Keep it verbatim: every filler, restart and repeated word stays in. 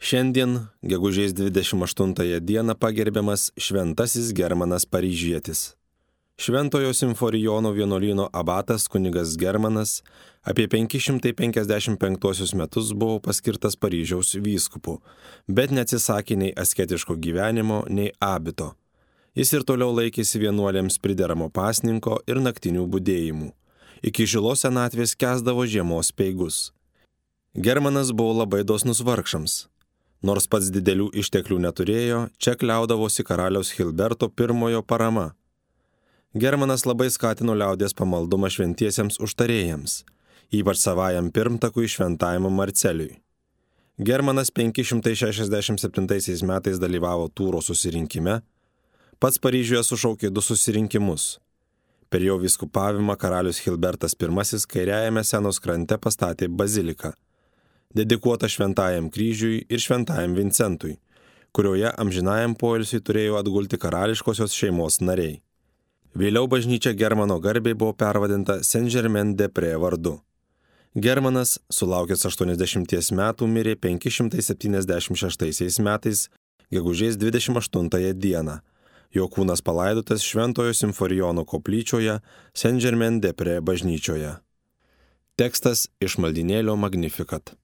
Šiandien, gegužės dvidešimt aštuntąją dieną, pagerbiamas Šventasis Germanas Paryžietis. Šventojo Simforijono vienuolyno abatas kunigas Germanas apie penki šimtai penkiasdešimt penktuosius metus buvo paskirtas Paryžiaus vyskupu, bet neatsisakė nei asketiško gyvenimo, nei abito. Jis ir toliau laikėsi vienuolėms prideramo pasninko ir naktinių budėjimų. Iki žilos senatvės kęsdavo žiemos speigus. Germanas buvo labai dosnus vargšams. Nors pats didelių išteklių neturėjo, čia kliaudavosi karaliaus Hilberto pirmojo parama. Germanas labai skatino liaudies pamaldumą šventiesiems užtarėjams, ypač savajam pirmtakui šventajam Marcelijui. Germanas penki šimtai šešiasdešimt septintaisiais metais dalyvavo Tūro susirinkime, pats Paryžiuje sušaukė du susirinkimus. Per jo vyskupavimą karalius Hilbertas pirmasis kairiajame Senos krante pastatė baziliką, dedikuota Šventajam kryžiui ir Šventajam Vincentui, kurioje amžinajam poilsiui turėjo atgulti karališkosios šeimos nariai. Vėliau bažnyčia Germano garbei buvo pervadinta Saint-Germain-des-Prés vardu. Germanas, sulaukęs aštuoniasdešimties metų, mirė penki šimtai septyniasdešimt šeštaisiais metais, gegužės dvidešimt aštuntąją dieną. Jo kūnas palaidotas Šventojo Simforijono koplyčioje Saint-Germain-des-Prés bažnyčioje. Tekstas iš maldynėlio Magnificat.